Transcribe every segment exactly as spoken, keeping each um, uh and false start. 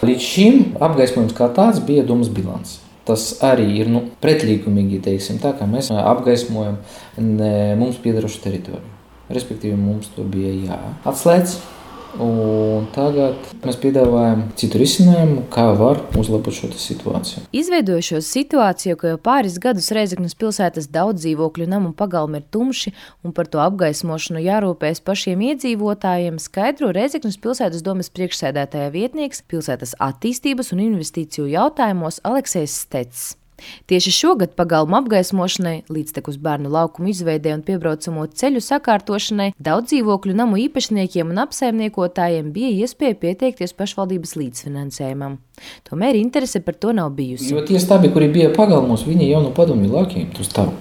Līdz šim apgaismojums kā tāds bija domas bilants. Tas arī ir nu, pretlīgumīgi, teiksim, tā kā mēs apgaismojam mums piederošu teritoriju. Respektīvi, mums to bija jāatslēdz. Un tagad mēs piedāvājam citu risinājumu, kā var uzlabot šo situāciju. Izveidojušos situāciju, ka jau pāris gadus Rēzeknes pilsētas daudz dzīvokļu namu pagalmi ir tumši un par to apgaismošanu jārūpējas pašiem iedzīvotājiem, skaidro Rēzeknes pilsētas domes priekšsēdētāja vietnieks pilsētas attīstības un investīciju jautājumos Aleksejs Stets. Tieši šogad pagalmu apgaismošanai, līdztekus bērnu laukumu izveidē un piebraucamo ceļu sakārtošanai daudz dzīvokļu namu īpašniekiem un apsaimniekotājiem bija iespēja pieteikties pašvaldības līdzfinansējumam. Tomēr interese par to nav bijusi. Jo tie stabi, kuri bija pagalmos, viņi jau no padomju laikiem tur stāv.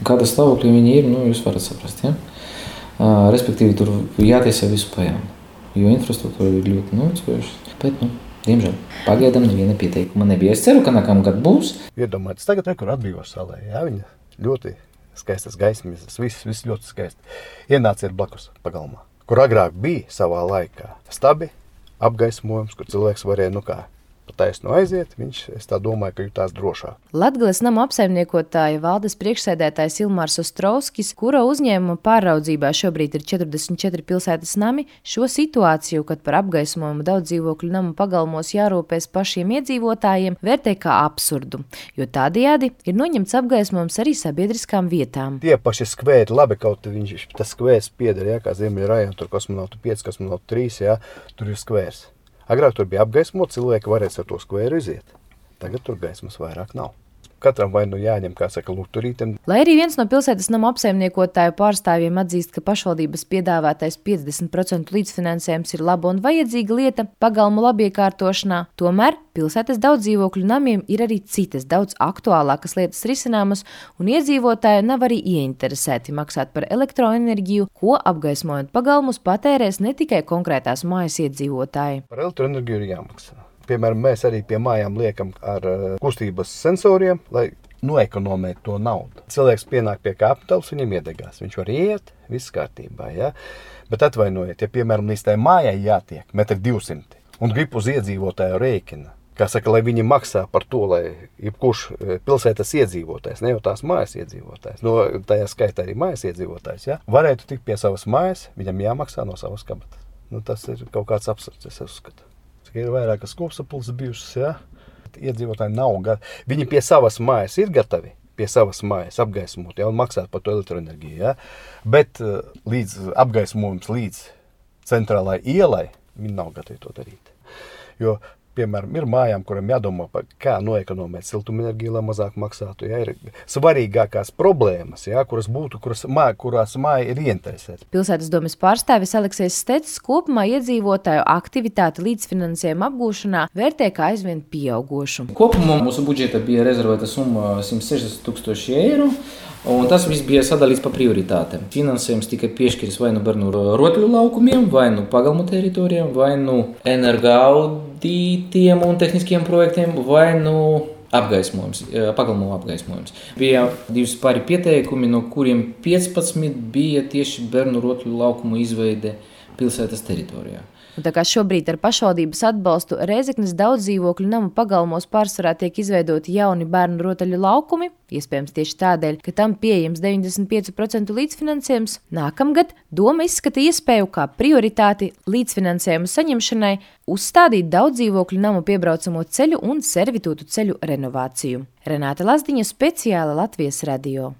Kāda stāvokļa viņi ir, nu jūs varat saprast, ja? Uh, respektīvi, tur jātiesa visu pajām, jo infrastruktūra ir ļoti novecojušas, bet, nu, diemžēl, pagaidām neviena pieteikuma nebija. Es ceru, ka nākamgad būs. Iedomājieties, tagad nekur atbrīvos salē, jā, viņa ļoti skaistas gaismas, viss, viss ļoti skaisti. Ienāciet blakus pagalmā, kur agrāk bija savā laikā stabi, apgaismojums, kur cilvēks varēja, nu kā, pa taisnu aiziet, viņš, es tā domāju, ka jutās drošāk. Latgales namu apsaimniekotāja valdes priekšsēdētājs Ilmārs Ostrovskis, kura uzņēmuma pāraudzībā šobrīd ir četrdesmit četri pilsētas nami, šo situāciju, kad par apgaismojumu daudz dzīvokļu namu pagalmos jārūpēs pašiem iedzīvotājiem, vērtē kā absurdu, jo tādējādi ir noņemts apgaismojums arī sabiedriskām vietām. Tie paši skvēri, labi, kaut viņš, tas skvērs pieder, jā, kā Ziemeļa rajona, tur kosmonautu pieci, kosmonautu trīs, jā, tur ir skvērs. Agrāk tur bija apgaismot, cilvēki varēs ar to skvēru iziet. Tagad tur gaismas vairāk nav. Katram vai nu jāņem, kā saka, lukturītiem. Lai arī viens no pilsētas namu apsaimniekotāju pārstāvjiem atzīst, ka pašvaldības piedāvātais piecdesmit procentu līdzfinansējums ir laba un vajadzīga lieta pagalmu labiekārtošanā, tomēr pilsētas daudz dzīvokļu namiem ir arī citas daudz aktuālākas lietas risināmas, un iedzīvotāji nav arī ieinteresēti maksāt par elektroenerģiju, ko apgaismojot pagalmus patērēs ne tikai konkrētās mājas iedzīvotāji. Par elektroenerģiju ir jāmaksā. Piemēram, mēs arī pie mājām liekam ar kustības sensoriem, lai noekonomētu to naudu. Cilvēks pienāk pie kāpnes, viņam iedegās. Viņš var iet, viss kārtībā, ja? Bet atvainojiet, ja, piemēram, līdz tai mājai jātiek metri divsimti un grib uz iedzīvotāju rēķina, kā saka, lai viņi maksā par to, lai jebkurš pilsētas iedzīvotājs, ne jau tās mājas iedzīvotājs, no tajā skaitā arī mājas iedzīvotājs, ja? Varētu tikt pie savas mājas, viņam jāmaksā no savas kabatas. Nu, tas ir kaut kāds absurds, es uzskatu. Ir vairākas kopsapulces bijušas, ja? Iedzīvotāji nav gatavi. Viņi pie savas mājas ir gatavi, pie savas mājas apgaismot, ja, un maksāt par to elektroenerģiju, ja? Bet līdz apgaismojums līdz centrālai ielai, viņi nav gatavi to darīt. Jo, piemēram, ir mājām, kuriem jādomā par kā noekonomēt siltumenerģiju, lai mazāk maksātu. Ja, ir svarīgākās problēmas, ja, kuras būtu, kuras māja, kurās māja ir ieinteresēta. Pilsētas domes pārstāvis Aleksejs Stets kopumā iedzīvotāju aktivitāti līdzfinansējuma apgūšanā vērtē kā aizvien pieaugošu. Kopumā mūsu budžeta bija rezervēta summa simt sešdesmit tūkstoši eiro. Un tas viss bija sadalīts pa prioritātēm. Finansējums tika piešķirs vai nu bērnu rotaļu laukumiem, vai nu pagalmu teritorijām, vai nu energoaudītiem un tehniskiem projektiem, vai nu apgaismojums, pagalmu apgaismojums. Bija divas pāri pieteikumi, no kuriem piecpadsmit bija tieši bērnu rotaļu laukumu izveide pilsētas teritorijā. Un tā kā šobrīd ar pašvaldības atbalstu Rēzeknes daudz dzīvokļu namu pagalmos pārsvarā tiek izveidoti jauni bērnu rotaļu laukumi, iespējams tieši tādēļ, ka tam pieejams deviņdesmit pieci procenti līdzfinansējums, nākamgad doma izskata iespēju kā prioritāti līdzfinansējumu saņemšanai uzstādīt daudz dzīvokļu namu piebraucamo ceļu un servitūtu ceļu renovāciju. Renāte Lazdiņa, speciāli Latvijas radio.